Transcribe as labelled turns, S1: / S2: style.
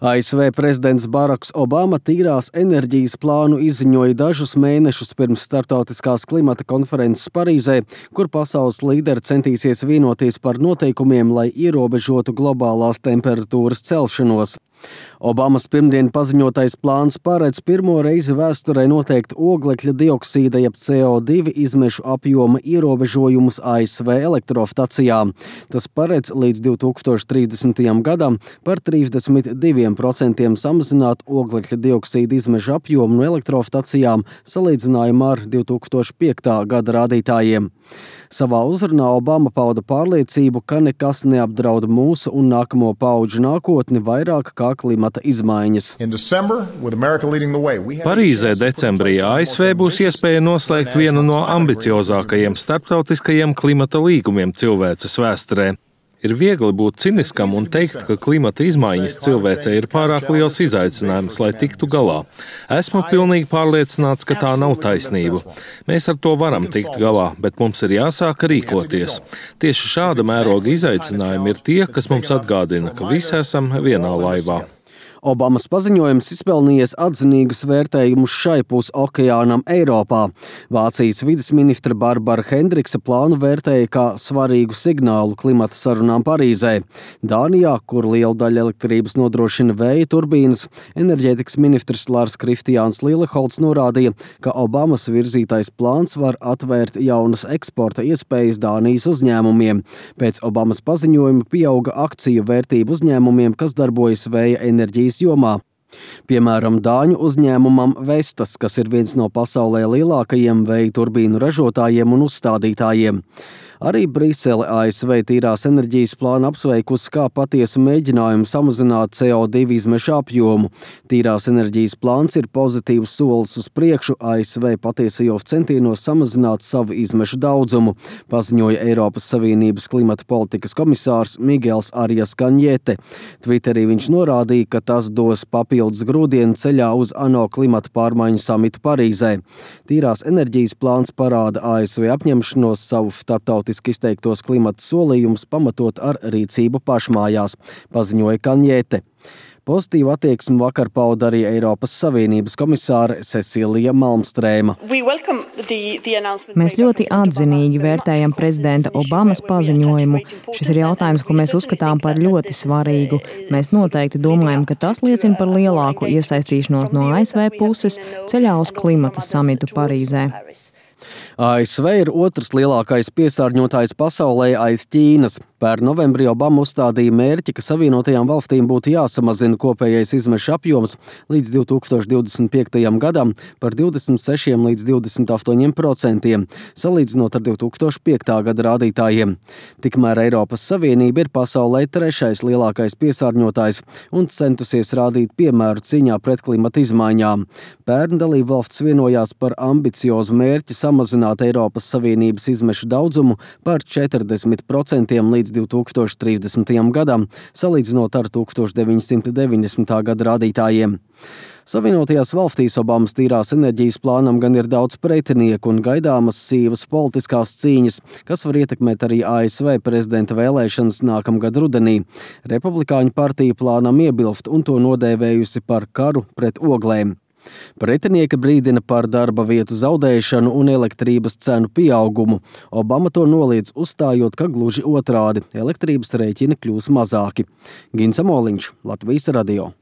S1: ASV prezidents Baraks Obama tīrās enerģijas plānu izziņoja dažus mēnešus pirms starptautiskās klimata konferences Parīzē, kur pasaules līderi centīsies vienoties par noteikumiem, lai ierobežotu globālās temperatūras celšanos. Obamas pirmdien paziņotais plāns paredz pirmo reizi vēsturē noteikt oglekļa dioksīda jeb CO2 izmešu apjoma ierobežojumus ASV elektrostacijām. Tas paredz līdz 2030. gadam par 32% samazināt oglekļa dioksīda izmešu apjomu no elektrostacijām salīdzinājumā ar 2005. gada rādītājiem. Savā uzrunā Obama pauda pārliecību, ka nekas neapdraud mūsu un nākamo paudžu nākotni vairāk kā klimata izmaiņas.
S2: Parīzē decembrī ASV būs iespēja noslēgt vienu no ambiciozākajiem starptautiskajiem klimata līgumiem cilvēces vēsturē. Ir viegli būt ciniskam un teikt, ka klimata izmaiņas cilvēcei ir pārāk liels izaicinājums, lai tiktu galā. Esmu pilnīgi pārliecināts, ka tā nav taisnība. Mēs ar to varam tikt galā, bet mums ir jāsāk rīkoties. Tieši šāda mēroga izaicinājumi ir tie, kas mums atgādina, ka visi esam vienā laivā.
S1: Obamas paziņojums izpelnījies atzinīgus vērtējumus šai pus okeānam Eiropā. Vācijas vides ministra Barbara Hendrikse plānu vērtēja kā svarīgu signālu klimata sarunām Parīzē. Dānijā, kur lielu daļu elektrības nodrošina vēja turbīnas, enerģētikas ministrs Lars Kristiāns Lilleholts norādīja, ka Obamas virzītais plāns var atvērt jaunas eksporta iespējas Dānijas uzņēmumiem. Pēc Obamas paziņojuma pieauga akciju vērtību uzņēmumiem, kas darbojas vēja enerģijas jomā. Piemēram, dāņu uzņēmumam Vestas, kas ir viens no pasaulē lielākajiem vēja turbīnu ražotājiem un uzstādītājiem. Arī Brisele ASV tīrās enerģijas plānu apsveikusi kā patiesu mēģinājumu samazināt CO2 izmešu apjomu. Tīrās enerģijas plāns ir pozitīvs solis uz priekšu ASV patiesajos centienos samazināt savu izmešu daudzumu, paziņoja Eiropas Savienības klimata politikas komisārs Miguels Arias Kanjete. Twitterī viņš norādīja, ka tas dos papildus grūdienu ceļā uz ANO klimata pārmaiņu samitu Parīzē. Tīrās enerģijas plāns parāda ASV apņemšanos savu starptautiski izteiktos klimata solījumus pamatot ar rīcību pašmājās, paziņoja Kanjete. Pozitīvu attieksmi vakar pauda arī Eiropas Savienības komisāre Cecilija Malmstrēma.
S3: Mēs ļoti atzinīgi vērtējam prezidenta Obamas paziņojumu. Šis ir jautājums, ko mēs uzskatām par ļoti svarīgu. Mēs noteikti domājam, ka tas liecina par lielāku iesaistīšanos no ASV puses ceļā uz klimata samitu Parīzē.
S1: ASV ir otrs lielākais piesārņotājs pasaulē aiz Ķīnas. Pērn novembrī Obama uzstādīja mērķi, ka Savienotajām valstīm būtu jāsamazina kopējais izmešu apjoms līdz 2025. gadam par 26 līdz 28%, salīdzinot ar 2005. gada rādītājiem. Tikmēr Eiropas Savienība ir pasaulē trešais lielākais piesārņotājs un centusies rādīt piemēru cīņā pret klimata izmaiņām. Pērn dalībvalstis vienojās par ambiciozu mērķi samazināt Eiropas Savienības izmešu daudzumu par 40% līdz 2030. gadam, salīdzinot ar 1990. gada rādītājiem. Savienotajās valstīs Obamas tīrās enerģijas plānam gan ir daudz pretinieku un gaidāmas sīvas politiskās cīņas, kas var ietekmēt arī ASV prezidenta vēlēšanas nākamgad rudenī. Republikāņu partija plānam iebilst un to nodēvējusi par karu pret oglēm. Pretinieki brīdina par darba vietu zaudēšanu un elektrības cenu pieaugumu. Obama to noliedz, uzstājot, ka gluži otrādi - elektrības rēķini kļūs mazāki. Gins Amoliņš, Latvijas radio.